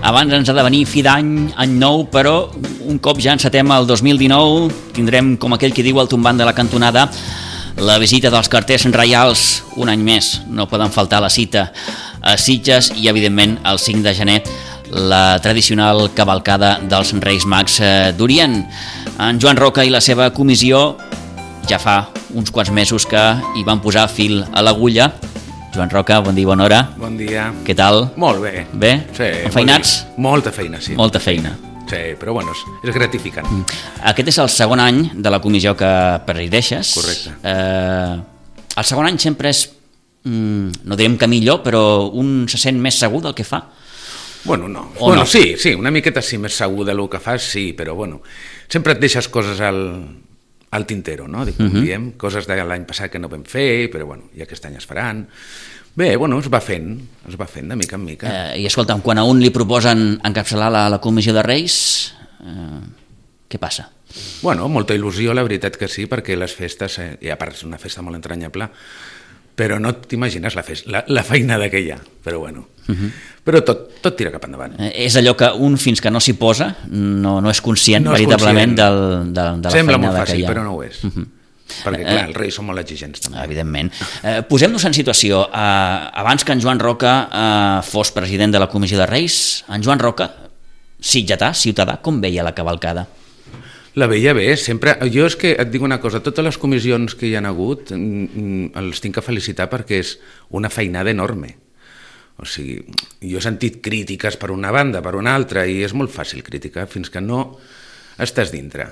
Abans ens ha de venir fi d'any, any nou, però un cop ja encetem el 2019 tindrem, com aquell que diu el tombant de la cantonada, la visita dels carters reials un any més. No poden faltar la cita a Sitges i, evidentment, el 5 de gener, la tradicional cavalcada dels Reis Mags d'Orient. En Joan Roca i la seva comissió ja fa uns quants mesos que hi van posar fil a l'agulla. Joan Roca, bon dia i bona hora. Bon dia. Què tal? Molt bé. Bé? Sí. Enfeinats? Molta feina, sí. Molta feina. Sí, però bueno, és gratificant. Aquest és el segon any de la comissió que presideixes. Correcte. El segon any sempre és, no direm que millor, però un se sent més segur del que fa? Bueno, no. O bueno, no? Sí, una miqueta sí, més segur del que fas, sí, però bueno, sempre et deixes coses al tintero, no? Diem, coses de l'any passat que no vam fer, però bueno, i aquest any es faran. Bé, bueno, es va fent de mica en mica. I escolta'm, quan a un li proposen encapçalar la comissió de Reis, què passa? Bueno, molta il·lusió, la veritat que sí, perquè les festes, i a part és una festa molt entranyable, però no t'imagines la feinada que hi ha, però bueno. Però tot tira cap endavant. És allò que un, fins que no s'hi posa, no és conscient veritablement de la feinada que hi ha. Sembla molt fàcil, però no ho és. Perquè, clar, els Reis són molt exigents, també. Evidentment. Posem-nos en situació. Abans que en Joan Roca fos president de la Comissió de Reis, en Joan Roca, sitgetà, ciutadà, com veia la cavalcada? La veia bé, sempre. Jo és que et dic una cosa, totes les comissions que hi han hagut els tinc que felicitar perquè és una feinada enorme. O sigui, jo he sentit crítiques per una banda, per una altra, i és molt fàcil criticar fins que no estàs dintre.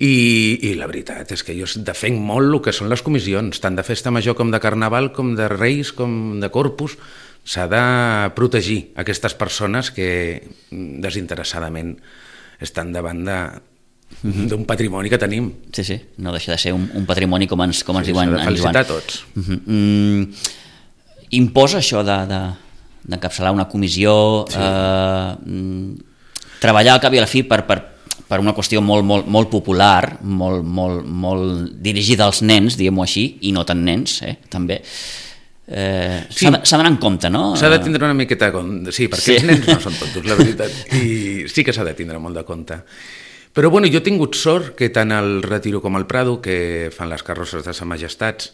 I la veritat és que jo defenc molt el que són les comissions, tant de festa major com de carnaval, com de Reis, com de Corpus. S'ha de protegir aquestes persones que desinteressadament estan davant d'un patrimoni que tenim. Sí, no deixa de ser un patrimoni com ens diuen en Joan. S'ha de felicitar a tots. Imposa això d'encapçalar una comissió, treballar al cap i a la fi per una qüestió molt popular, molt dirigida als nens, diguem-ho així, i no tant nens, també. S'ha d'anar en compte, no? S'ha de tindre una miqueta de compte, sí, perquè els nens no són tontos, la veritat, i sí que s'ha de tindre molt de compte. Però bueno, jo he tingut sort que tant el Retiro com el Prado, que fan les carrosses de Sa Majestats,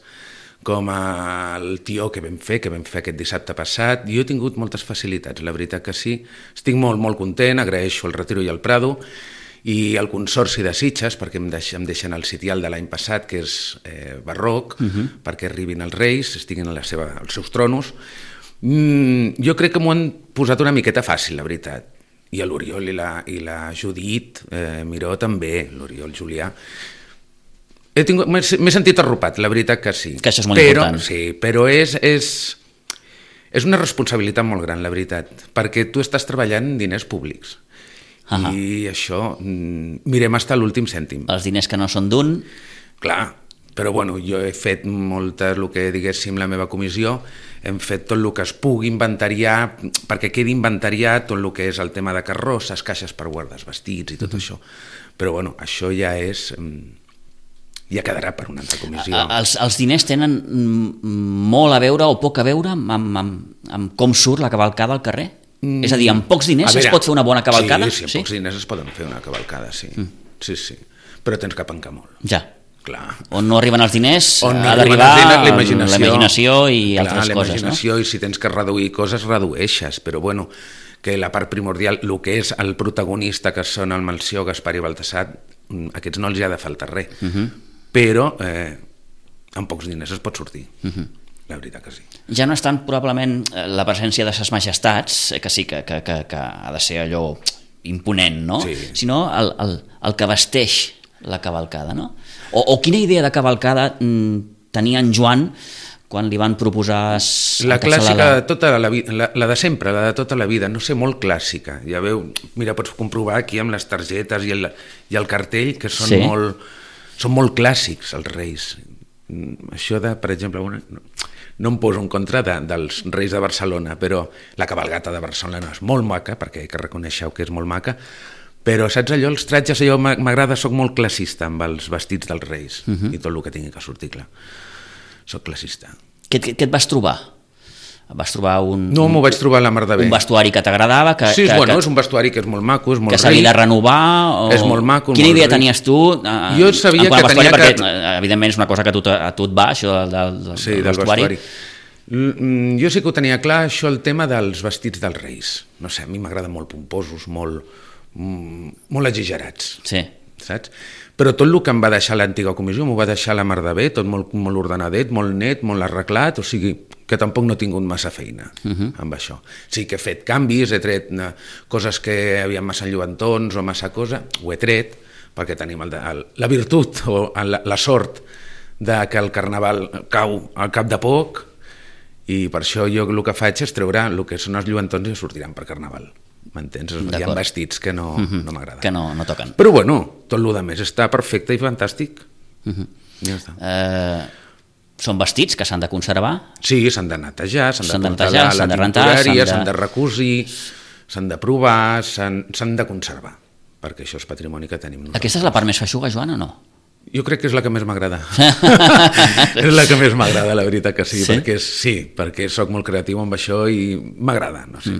com el Tió que vam fer aquest dissabte passat, jo he tingut moltes facilitats, la veritat que sí. Estic molt content, agraeixo el Retiro i el Prado, i el Consorci de Sitges, perquè em deixen el sitial de l'any passat, que és barroc, perquè arribin els Reis, estiguin als seus tronos. Jo crec que m'ho han posat una miqueta fàcil, la veritat. I l'Oriol i la Judit Miró també, l'Oriol Julià. M'he sentit arropat, la veritat que sí. Que això és molt important. Sí, però és una responsabilitat molt gran, la veritat, perquè tu estàs treballant en diners públics. I això, mirem fins a l'últim cèntim. Els diners que no són d'un... Clar, però bueno, jo he fet el que diguéssim la meva comissió, hem fet tot el que es pugui inventariar, perquè quedi inventariat tot el que és el tema de carrosses, caixes per guardar els vestits i tot això. Però bueno, això ja ja quedarà per una altra comissió. Els diners tenen molt a veure o poc a veure amb com surt la cavalcada al carrer? És a dir, amb pocs diners es pot fer una bona cavalcada? Sí, amb pocs diners es poden fer una cavalcada, sí. Sí. Però tens que pencar molt. Ja. Clar. On no arriben els diners ha d'arribar la imaginació i altres coses, no? I si tens que reduir coses, redueixes, però bueno, que la part primordial, el que és el protagonista, que són el Melcior, Gaspar i Baltasar, aquests no els hi ha de faltar res, però amb pocs diners es pot sortir. La veritat que sí. Ja no és tant probablement la presència de ses majestats, que sí que ha de ser allò imponent, no? Sí. Sinó el que vesteix la cavalcada, no? O quina idea de cavalcada tenia en Joan quan li van proposar... La clàssica de tota la vida, la de sempre, la de tota la vida, no sé, molt clàssica. Ja veu, mira, pots comprovar aquí amb les targetes i el cartell que són molt clàssics els Reis. Això de, per exemple, no em poso en contra dels Reis de Barcelona, però la cabalgata de Barcelona és molt maca, perquè que reconeixeu que és molt maca, però saps allò, els tratges, allò m'agrada, soc molt classista amb els vestits dels Reis i tot el que tingui que sortir, clar. Soc classista. Què et vas trobar Vas trobar No, m'ho vaig trobar a la mar de bé. Un vestuari que t'agradava? Sí, és un vestuari que és molt maco, és molt ric. Que s'havia de renovar? És molt maco, Quina idea tenies tu? Jo sabia que tenia que... Perquè, evidentment, és una cosa que a tu et va, això del vestuari. Jo sí que ho tenia clar, això, el tema dels vestits dels reis. No sé, a mi m'agraden molt pomposos, molt exagerats. Sí. Saps? Però tot el que em va deixar l'antiga comissió m'ho va deixar la mar de bé, tot molt ordenadet, molt net, molt arreglat, o sigui que tampoc no he tingut massa feina amb això. Sí que he fet canvis, he tret coses que havien massa lluentons o massa cosa, ho he tret, perquè tenim la virtut o la sort de que el carnaval cau al cap de poc, i per això jo el que faig és treure el que són els lluentons i sortiran per carnaval. M'entens? Hi ha vestits que no m'agraden. Que no toquen. Però bueno, tot el que més està perfecte i fantàstic. Ja està. Són vestits que s'han de conservar? Sí, s'han de netejar, s'han de portar a la tintorèria, s'han de recosir, s'han de provar, s'han de conservar, perquè això és patrimoni que tenim nosaltres. Aquesta és la part més feixuga, Joan, o no? Jo crec que és la que més m'agrada. És la que més m'agrada, la veritat que sí, perquè soc molt creatiu amb això i m'agrada, no sé,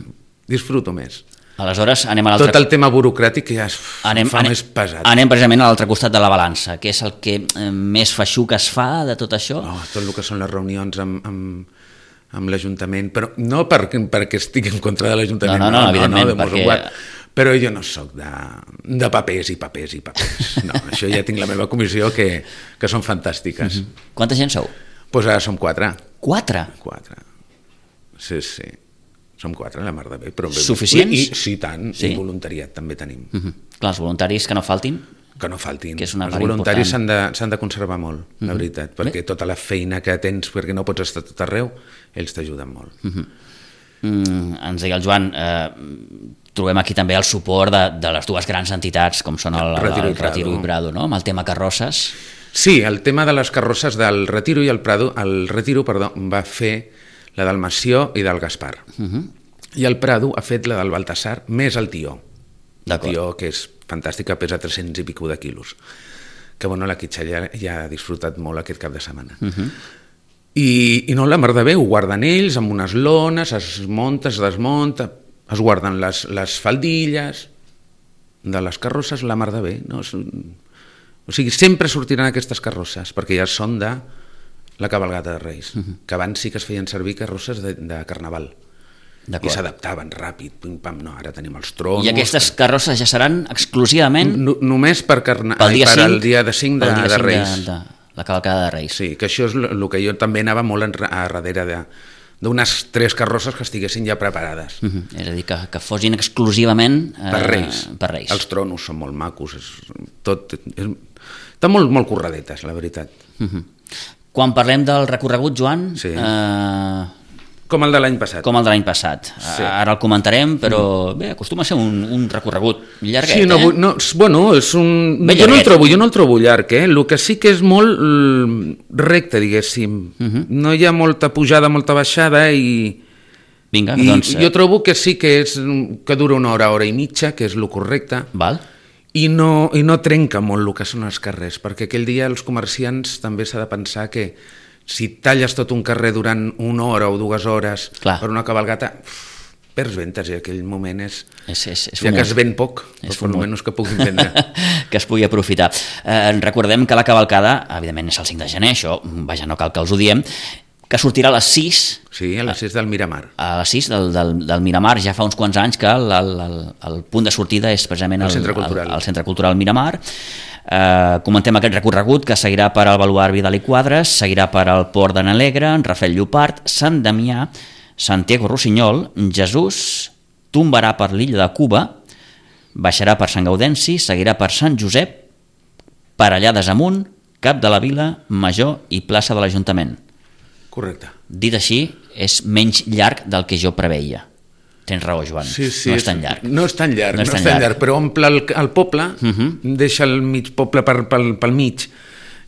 disfruto més. Aleshores, anem a l'altre... Tot el tema burocràtic ja fa més pesat. Anem precisament a l'altre costat de la balança, que és el que més feixuc es fa de tot això? Tot el que són les reunions amb l'Ajuntament, però no perquè estigui en contra de l'Ajuntament, no, evidentment, perquè... Però jo no sóc de papers i papers i papers. No, això ja tinc la meva comissió que són fantàstiques. Quanta gent sou? Doncs ara som 4. 4? 4. Sí. Som 4, la mar de bé. Suficients? Sí, tant. I voluntariat també tenim. Clar, els voluntaris que no faltin? Que no faltin. Que és una els voluntaris s'han de conservar molt, la veritat, perquè tota la feina que tens, perquè no pots estar tot arreu, ells t'ajuden molt. Ens deia el Joan, trobem aquí també el suport de les dues grans entitats, com són el Retiro i Prado, no? Amb el tema carrosses. Sí, el tema de les carrosses del Retiro i el Prado, el Retiro, va fer la del Mació i del Gaspar. I el Prado ha fet la del Baltasar més el Tió. El Tió, que és fantàstic, que pesa 300 i pico de quilos. Que bueno, la Quitxa ja ha disfrutat molt aquest cap de setmana. I no, la mar de bé, ho guarden ells amb unes lones, es munta, es desmunta, es guarden les faldilles de les carrosses, la mar de bé. No? O sigui, sempre sortiran aquestes carrosses, perquè ja són de la cabalgata de Reis, que abans sí que es feien servir carrosses de carnaval. I s'adaptaven ràpid, pim-pam, no, ara tenim els tronos... I aquestes carrosses ja seran exclusivament... Només per al dia de 5 de Reis. La cavalcada de Reis. Sí, que això és el que jo també anava molt a darrere d'unes 3 carrosses que estiguessin ja preparades. És a dir, que fossin exclusivament per Reis. Els tronos són molt macos, estan molt curradetes, la veritat. Quan parlem del recorregut, Joan... Sí. Com el de l'any passat. Com el de l'any passat. Sí. Ara el comentarem, però bé, acostuma a ser un recorregut llarguet, sí, bueno, és un... Jo no el trobo llarg, El que sí que és molt recte, diguéssim. No hi ha molta pujada, molta baixada i... Vinga, doncs... Jo trobo que sí que dura 1 hora, hora i mitja, que és el correcte. Val. I no trenca molt el que són els carrers, perquè aquell dia els comerciants també s'ha de pensar que si talles tot un carrer durant 1 hora o 2 hores per una cabalgata, perds ventes, i aquell moment és ja que es ven poc, però almenys que puguin vendre. Que es pugui aprofitar. Recordem que la cavalcada, evidentment, és el 5 de gener, això, vaja, no cal que els ho diem, que sortirà a les 6. Sí, a les 6 del Miramar. A les 6 del Miramar, ja fa uns quants anys que el punt de sortida és precisament el Centre Cultural Miramar. Comentem aquest recorregut que seguirà per al Baluard Vidal i Quadres, seguirà per al Port de Nalegre, Rafel Llopart, Sant Damià, Santiago Rossinyol, Jesús, tombarà per l'illa de Cuba, baixarà per Sant Gaudenci, seguirà per Sant Josep, per allà desamunt, Cap de la Vila, Major i plaça de l'Ajuntament. Correcte. Dit així, és menys llarg del que jo preveia. Tens raó, Joan. Sí, no és tan llarg. No és tan llarg, però omple el poble, deixa el mig poble pel mig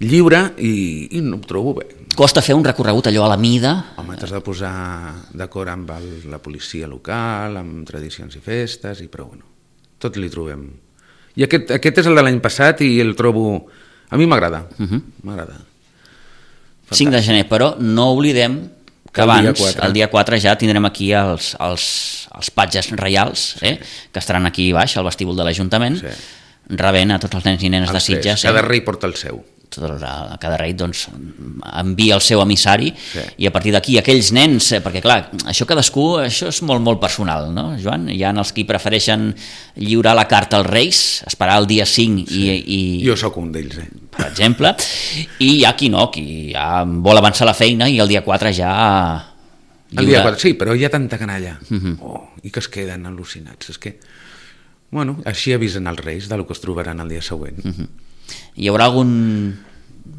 lliure i no ho trobo bé. Costa fer un recorregut allò a la mida? Home, t'has de posar d'acord amb la policia local, amb tradicions i festes, però bueno, tot li trobem. I aquest és el de l'any passat i el trobo... A mi m'agrada, m'agrada. 5 de gener, però no oblidem que abans, el dia 4 ja tindrem aquí els patges reials, que estaran aquí baix, al vestíbul de l'Ajuntament, rebent a tots els nens i nenes de Sitges. Cada rei porta el seu. Cada rei doncs, envia el seu emissari i a partir d'aquí aquells nens, perquè clar, això és molt, molt personal, no, Joan? Hi ha els que prefereixen lliurar la carta als reis, esperar el dia 5 i... Jo sóc un d'ells, per exemple, i hi ha qui no, qui ja vol avançar la feina i el dia 4 ja... El dia 4, sí, però hi ha tanta canalla i que es queden al·lucinats. És que, bueno, així avisen els reis del que es trobaran el dia següent. Hi haurà algun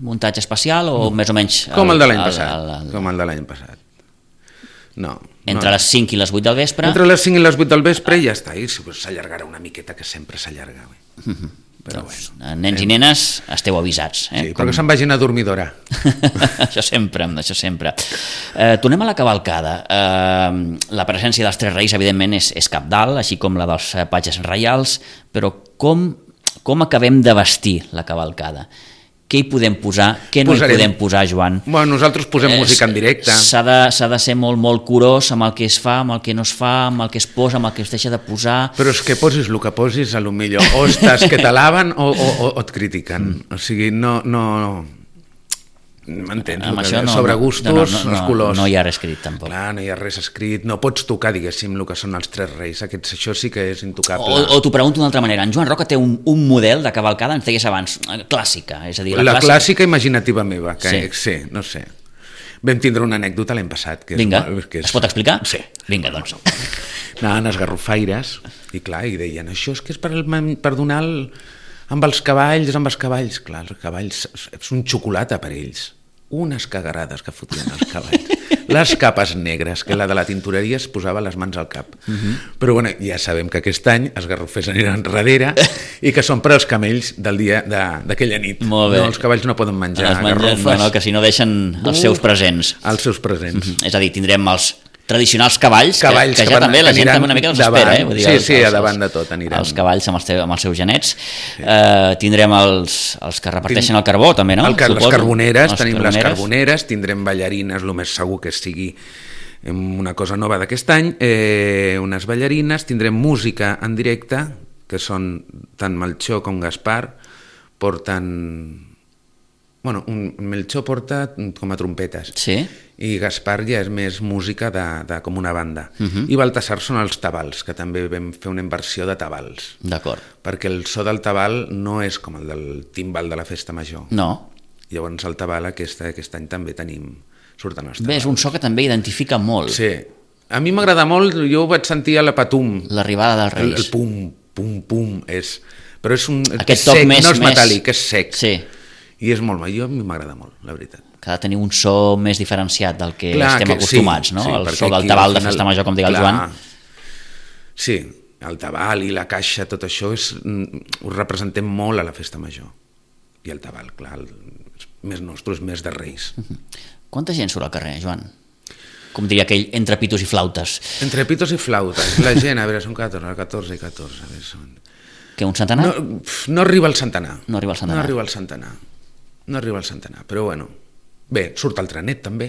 muntatge especial o més o menys... Com el de l'any passat. Com el de l'any passat. No. Entre les 5 i les 8 del vespre? Entre les 5 i les 8 del vespre i ja està. I s'allargarà una miqueta, que sempre s'allarga. Però doncs, nens i nenes, esteu avisats. Sí, però que se'n vagin a dormir d'hora. Això sempre. Tornem a la cavalcada. La presència dels 3 reis, evidentment, és cabdal, així com la dels patges reials, però com acabem de vestir la cavalcada? Què hi podem posar? Què no hi podem posar, Joan? Bueno, nosaltres posem música en directe. S'ha de ser molt, molt curós amb el que es fa, amb el que no es fa, amb el que es posa, amb el que es deixa de posar... Però és que posis el que posis, a lo millor o estàs que t'alaben o et critiquen. O sigui, no... M'entens? Sobre gustos, els colors. No hi ha res escrit, tampoc. Clar, no hi ha res escrit. No pots tocar, diguéssim, el que són els 3 reis. Això sí que és intocable. O t'ho pregunto d'una altra manera. En Joan Roca té un model de cavalcada, ens deies abans, clàssica. És a dir, la clàssica imaginativa meva, que sí, no sé. Vam tindre una anècdota l'any passat. Vinga, es pot explicar? Sí. Vinga, doncs. Anaven els garrofaires i clar, i deien, això és que és per donar amb els cavalls, clar, els cavalls és un xocolata per ells. Unes cagarades que fotien els cavalls. Les capes negres, que la de la tintoreria es posava les mans al cap. Però bueno, ja sabem que aquest any els garrofers aniran darrere i que són per als camells del dia d'aquella nit. Molt bé. No, els cavalls no poden menjar garrofes. No, que si no deixen els seus presents. Els seus presents. És a dir, tindrem els tradicionals cavalls que ja també la gent també una mica els espera. Vull dir, sí, a davant de tot aniran. Els cavalls amb els seus genets. Tindrem els que reparteixen el carbó, també, no? Les carboneres, tenim les carboneres, tindrem ballarines, el més segur que sigui una cosa nova d'aquest any, unes ballarines, tindrem música en directe, que són tant Melchor com Gaspar, porten... Bueno, Melchor porta com a trompetes i Gaspar ja és més música de com una banda. I Baltasar són els tabals, que també vam fer una inversió de tabals. D'acord. Perquè el so del tabal no és com el del timbal de la festa major. No. Llavors el tabal aquest any també surten els tabals. Bé, és un so que també identifica molt. Sí. A mi m'agrada molt, jo ho vaig sentir a la Patum. L'arribada dels Reis. El pum, pum, pum. Però és aquest toc sec, més, no és metàl·lic, és sec. Sí. I és molt, a mi m'agrada molt, la veritat. Que ha de tenir un so més diferenciat del que estem acostumats, no? El so del tabal de festa major, com diga el Joan. Sí, el tabal i la caixa, tot això ho representem molt a la festa major. I el tabal, clar, més nostre, és més de Reis. Quanta gent surt al carrer, Joan? Com diria aquell, entre pitos i flautes. Entre pitos i flautes. La gent, a veure, són 14 i 14. A veure, són... Que un centenar? No arriba al centenar. No arriba al centenar, però bueno. Bé, surt el trenet també,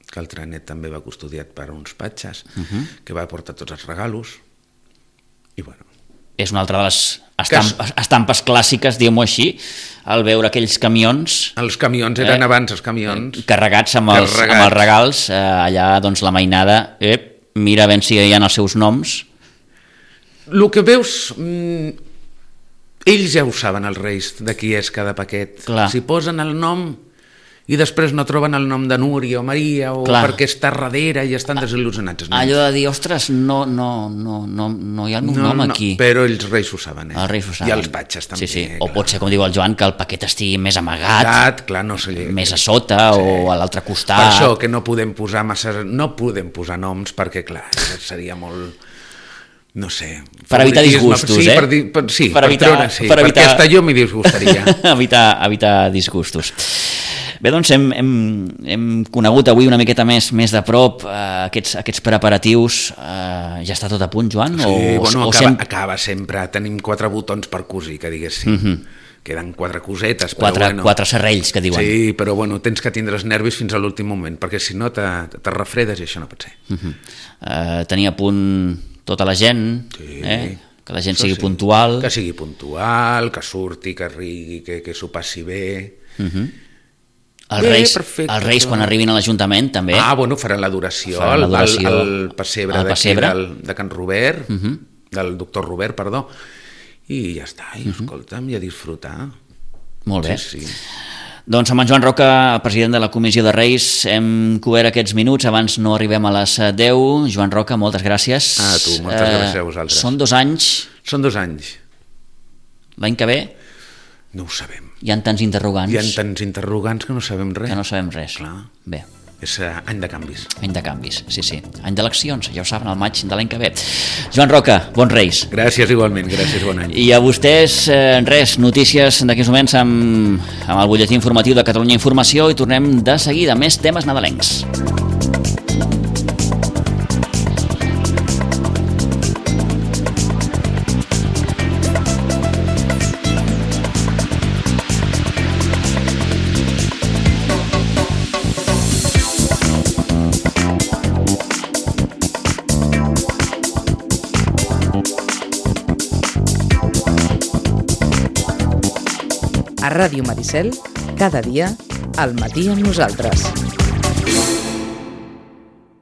que el trenet també va custodiat per uns patges, que va portar tots els regalos, i bueno. És una altra de les estampes clàssiques, diguem-ho així, al veure aquells camions... Els camions eren abans, els camions... Carregats amb els regals, allà doncs la mainada, mira ben si hi ha els seus noms... El que veus, ells ja ho saben, els reis, de qui és cada paquet. Clar. Si posen el nom i després no troben el nom de Núria o Maria o perquè està darrere i estan desil·lusionats. Allò de dir, ostres, no hi ha el meu nom aquí. Però els reis ho saben, Els reis ho saben. I els patges també. Sí. O pot ser, com diu el Joan, que el paquet estigui més amagat, clar, no sé, més a sota o a l'altre costat. Per això que no podem posar noms perquè, clar, seria molt... No sé... Per evitar disgustos, per perquè hasta jo m'hi disgustaria. evitar disgustos. Bé, doncs hem conegut avui una miqueta més de prop aquests preparatius. Ja està tot a punt, Joan? Sí, acaba sempre. Tenim 4 botons per cosir, que diguéssim. queden 4 cosetes, però 4 serrells, que diuen. Sí, però bueno, tens que tindre els nervis fins a l'últim moment, perquè si no te refredes i això no pot ser. Tenir a punt tota la gent, que la gent sigui puntual. Que sigui puntual, que surti, que rigui, que s'ho passi bé. Els Reis quan arribin a l'Ajuntament també. Bueno, faran l'adoració al pessebre de Can Robert, del doctor Robert, perdó, i ja està, i escolta'm, i a disfrutar. Molt bé. Sí. Doncs amb en Joan Roca, president de la Comissió de Reis, hem cobert aquests minuts, abans no arribem a les 10. Joan Roca, moltes gràcies. A tu, moltes gràcies a vosaltres. Són 2 anys. Són 2 anys. L'any que ve? No ho sabem. Hi ha tants interrogants. Hi ha tants interrogants que no sabem res. Que no sabem res. Clar. Bé. És any de canvis. Any de canvis, sí. Any d'eleccions, ja ho saben, al maig de l'any que ve. Joan Roca, bons Reis. Gràcies igualment, gràcies, bon any. I a vostès, res, notícies d'aquests moments amb el butlletí informatiu de Catalunya Informació i tornem de seguida, més temes nadalencs. A Ràdio Maricel, cada dia, al matí amb nosaltres.